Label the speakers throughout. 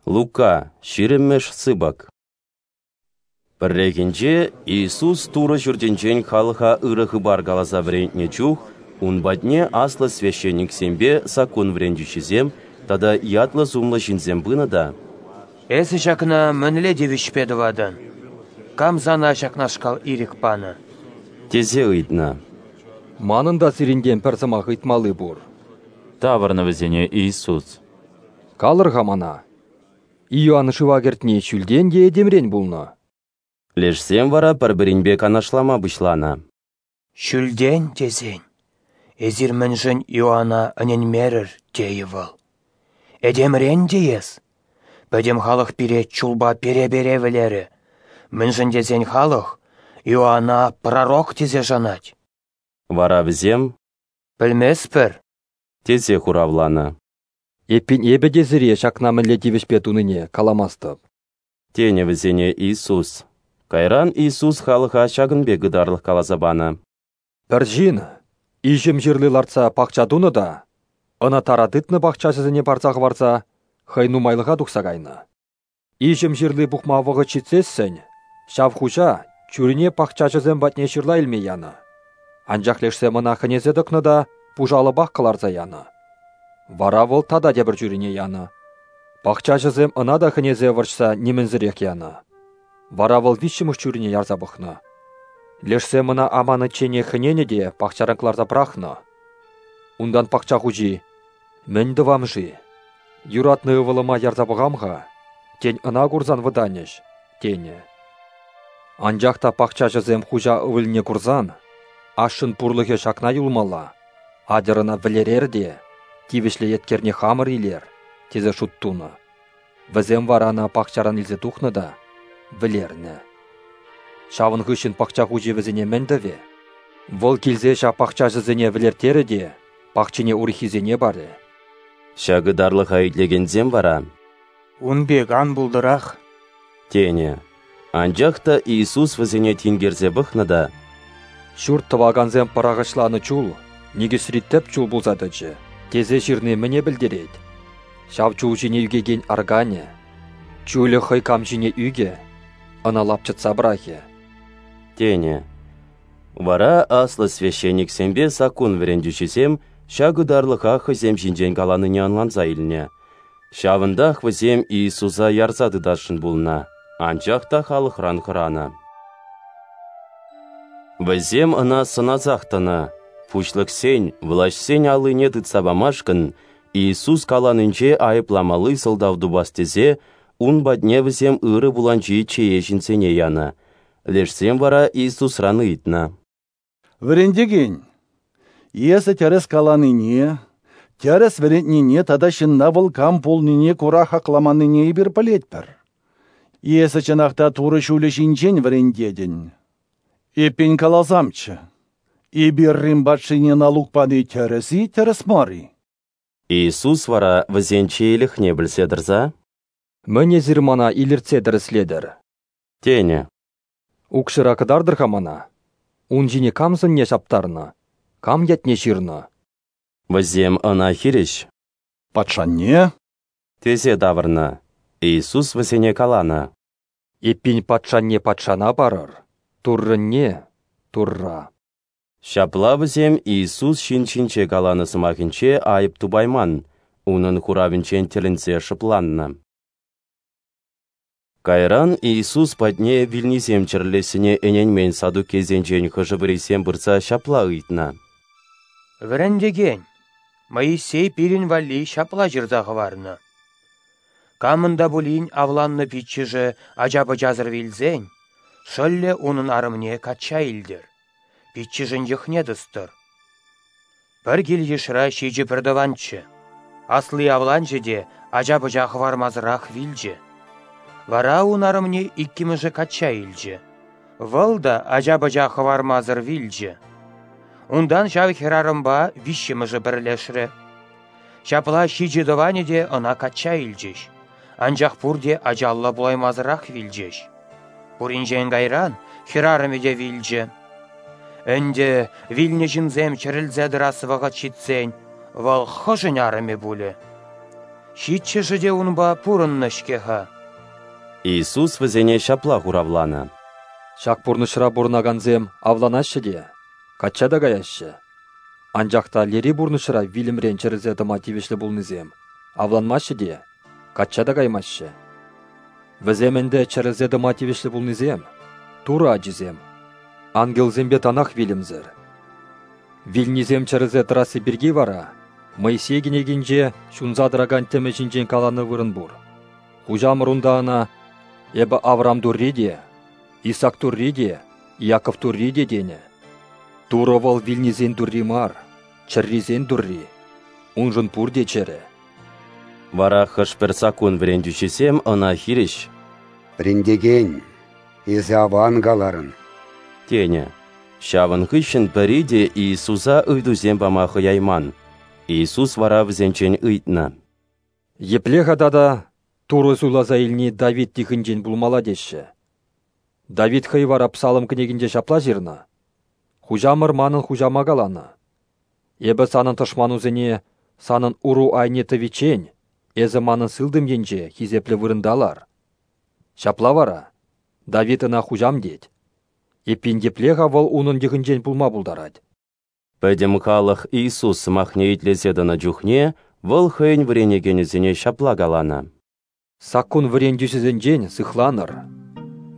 Speaker 1: Лука, ҫирӗммӗш сыпӑк. Пӗррехинче Иисус Турӑ Ҫуртӗнчен халӑха ырӑ хыпар каласа вӗрентнӗ чух ун патне аслӑ священниксемпе саккун вӗрентӳҫисем тата ятлӑ-сумлӑ ҫынсем пынӑ та:
Speaker 2: «Эсӗ ҫакна мӗнле тивӗҫпе тӑватӑн? Кам сана ҫакнашкал ирӗк панӑ?»
Speaker 1: тесе ыйтнӑ.
Speaker 3: «Манӑн та сирӗнтен пӗр сӑмах ыйтмалли пур»,
Speaker 4: тавӑрнӑ вӗсене Иисус.
Speaker 3: «Калӑр-ха мана, Иоанн шыва кӗртни ҫӳлтен е этемрен пулнӑ?»
Speaker 1: Лешсем вара пӗр-пӗринпе канашлама пуҫланӑ.
Speaker 2: «Ҫӳлтен тесен, эсир мӗншӗн Иоана ӗненмерӗр, тейӗ вӑл. Этемрен теес, пӗтӗм халӑх пире чулпа пере-пере вӗлерӗ, мӗншӗн тесен халӑх Иоана пророк тесе шанать».
Speaker 1: Вара вӗсем:
Speaker 2: «Пӗлместпӗр»,
Speaker 1: тесе хуравланӑ.
Speaker 3: «Эппин эпӗ те сире ҫакна мӗнле тивӗҫпе тунине каламастӑп»,
Speaker 1: тенӗ вӗсене Иисус. Кайран Иисус халӑха ҫакӑн пек ытарлӑх каласа панӑ.
Speaker 3: «Пӗр ҫын иҫӗм ҫырли лартса пахча тунӑ та ӑна тара тытнӑ пахчаҫӑсене парса хӑварса хӑй нумайлӑха тухса кайнӑ. Иҫӗм ҫырли пухма вӑхӑт ҫитсессӗн ҫав хуҫа чурине пахчаҫӑсем патне ҫырла илме янӑ. Анчах лешсем ӑна хӗнесе тӑкнӑ та пуш алӑпах кӑларса янӑ. Вара вӑл тата тепӗр чурине янӑ. Пахчаҫӑсем ӑна та хӗнесе вӑрҫса нимӗнсӗрех янӑ. Вара вӑл виҫҫӗмӗш чурине ярса пӑхнӑ. Лешсем ӑна аманичченех хӗненӗ те пахчаран кӑларса пӑрахнӑ. Унтан пахча хуҫи: «Мӗн тӑвам-ши? Юратнӑ ывӑлӑма ярса пӑхам-ха, тен, ӑна курсан вӑтанӗҫ», тенӗ. Анчах та пахчаҫӑсем хуҫа ывӑлне курсан, ашшӗн пурлӑхӗ ҫакна юлмалла, атьӑр ӑна вӗлерер те тивӗҫлӗ еткерне хамӑр илер, тесе шут тунӑ. Вӗсем вара ӑна пахчаран илсе тухнӑ та вӗлернӗ. Ҫавӑн хыҫҫӑн пахча хуҫи вӗсене мӗн тӑвӗ? Вӑл килсе ҫав пахчаҫӑсене вӗлерттерӗ те пахчине урӑххисене парӗ.
Speaker 1: Ҫак ытарлӑха итлекенсем вара:
Speaker 2: «Ун пек ан пултӑрах»,
Speaker 1: тенӗ. Анчах та Иисус вӗсене тинкерсе пӑхнӑ та:
Speaker 3: «Ҫурт тӑвакансем пӑрахӑҫланӑ чул никӗсри тӗп чул пулса тӑчӗ, тесе ҫырни мӗне пӗлтерет? Ҫав чул ҫине ӳкекен арканӗ, чулӗ хӑй кам ҫине ӳкӗ, ӑна лапчӑтса пӑрахӗ»,
Speaker 1: тенӗ. Вара аслӑ священниксемпе саккун вӗрентӳҫисем ҫак ытарлӑха хӑйсем ҫинчен каланине ӑнланса илнӗ. Ҫавӑнтах вӗсем Иисуса ярса тытасшӑн пулнӑ, анчах та халӑхран хӑранӑ. Вӗсем ӑна сӑнасах тӑнӑ. Пуҫлӑхсен, влаҫсен аллине тытса памашкӑн Иисус каланинче айӑпламалли сӑлтав тупас тесе ун патне вӗсем ырӑ пуланҫи чее ҫынсене янӑ. Лешсем вара Иисусран ыйтнӑ:
Speaker 5: «Вӗрентекен, эсӗ тӗрӗс каланине, тӗрӗс вӗрентнине тата ҫынна вӑл кам пулнине кура хакламаннине эпир пӗлетпӗр. Эсӗ чӑнах та Турӑ ҫулӗ ҫинчен вӗрентетӗн. Эппин каласамччӗ, эпир Рим патшине налук пани тӗрӗс-и, тӗрӗс мар-и?»
Speaker 1: Иисус вара вӗсен чеелӗхне пӗлсе тӑрса:
Speaker 3: «Мӗн эсир мана илӗртсе тӗрӗслетӗр?
Speaker 1: тенӗ.
Speaker 3: Укҫӑра кӑтартӑр-ха мана. Ун ҫине кам сӑнне ҫаптарнӑ, кам ятне ҫырнӑ?»
Speaker 1: Вӗсем ӑна хирӗҫ:
Speaker 5: «Патшанне»,
Speaker 1: тесе тавӑрнӑ. Иисус вӗсене каланӑ:
Speaker 3: «Эппин патшанне патшана парӑр, Туррӑнне Турра».
Speaker 1: Ҫапла вӗсем Иисус ҫын ҫинче каланӑ сӑмахӗнче айӑп тупайман, унӑн хуравӗнчен тӗлӗнсе шӑпланнӑ. Кайран Иисус патне вилнисем чӗрӗлессине ӗненмен саддукейсенчен хӑшӗ-пӗрисем пырса ҫапла ыйтнӑ:
Speaker 2: «Вӗрентекен, Моисей пирӗн валли ҫапла ҫырса хӑварнӑ: Камӑн та пулин авланнӑ пиччӗшӗ ача-пӑчасӑр вилсен, шӑллӗ унӑн арӑмне качча илтӗр, пиччӗшӗн йӑхне тӑстӑр. Пӗр кил-йышра 7 пӗртӑванччӗ. Асли авланчӗ те ача-пӑча хӑвармасӑрах вилчӗ. Вара ун арӑмне иккӗмӗшӗ качча илчӗ. Вӑл та ача-пӑча хӑвармасӑр вилчӗ. Унтан ҫав хӗрарӑмпа виҫҫӗмӗшӗ пӗрлешрӗ. Ҫапла 7 тӑванӗ те ӑна качча илчӗҫ, анчах пурте ачаллӑ пулаймасӑрах вилчӗҫ. Пуринчен кайран хӗрарӑмӗ те вилчӗ. Ӗнтӗ вилнӗ ҫынсем чӗрӗлсе тӑрас вӑхӑт ҫитсен вӑл хӑшӗн арӑмӗ пулӗ? Ҫиччӗшӗ те унпа пурӑннӑ-ҫке-ха.
Speaker 1: Иисус вӗсене ҫапла хуравланӑ:
Speaker 3: Ҫак пурнӑҫра пурӑнакансем авланаҫҫӗ те, качча та каяҫҫӗ. Анчах та лери пурнӑҫра вилӗмрен чӗрӗлсе тӑма тивӗҫлӗ пулнисем авланмаҫҫӗ те, качча та каймаҫҫӗ. Вӗсем ӗнтӗ чӗрӗлсе тӑма тивӗҫлӗ пулнисем, Турӑ ачисем, ангелсемпе танах вилӗмсӗр. Вилнисем чӗрӗлсе тӑрасси пирки вара Моисей кӗнекинче ҫунса тӑракан тӗмӗ ҫинчен каланӑ вырӑн пур. Хуҫамӑр унта ӑна: «Эпӗ Авраам Турри те, Исаак Турри те, Иаков Турри те» тенӗ. Турӑ вӑл вилнисен Турри мар, чӗррисен Турри. Уншӑн пурте чӗрӗ.
Speaker 1: Вара хӑш-пӗр саккун вӗрентӳҫисем ӑна хирӗҫ:
Speaker 6: «Вӗрентекен, эсӗ аван каларӑн»,
Speaker 1: тенӗ. Ҫавӑн хыҫҫӑн пӗри те Иисуса ыйтусем пама хӑяйман. Иисус вара вӗсенчен ыйтнӑ:
Speaker 3: Епле-ха тата Турӑ суйласа илни Давид йӑхӗнчен пулмалла теҫҫӗ? Давид хӑй вара Псалом кӗнекинче ҫапла ҫырнӑ: «Хуҫамӑр манӑн хуҫама каланӑ: Эпӗ санӑн тӑшманусене санӑн уру айне тӑвиччен эсӗ манӑн сылтӑм енче хисеплӗ вырӑнта лар». Ҫапла вара Давид ӑна хуҫам тет. Эппин епле-ха вӑл унӑн йӑхӗнчен пулма пултарать?
Speaker 1: Пӗтӗм халӑх Иисус сӑмахне итлесе тӑнӑ чухне вӑл хӑйӗн вӗренекенӗсене ҫапла каланӑ:
Speaker 3: Саккун вӗрентӳҫӗсенчен сыхланӑр.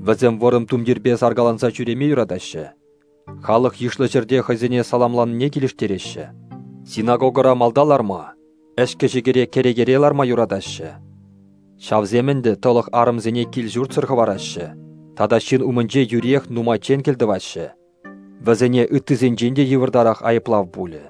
Speaker 3: Вӗсем вӑрӑм тумтирпе саркаланса ҫӳреме юратаҫҫӗ. Халӑх йышлӑ ҫӗрте хӑйсене саламланине килӗштереҫҫӗ. Синагогӑра малта ларма, ӗҫкӗ-ҫикӗре кӗрекере ларма юратаҫҫӗ. Ҫавсем ӗнтӗ тӑлӑх арӑмсене кил-ҫуртсӑр хӑвараҫҫӗ тата ҫын умӗнче юриех нумайччен кӗлтӑваҫҫӗ. Вӗсене ыттисенчен те йывӑртарах айӑплав пулӗ.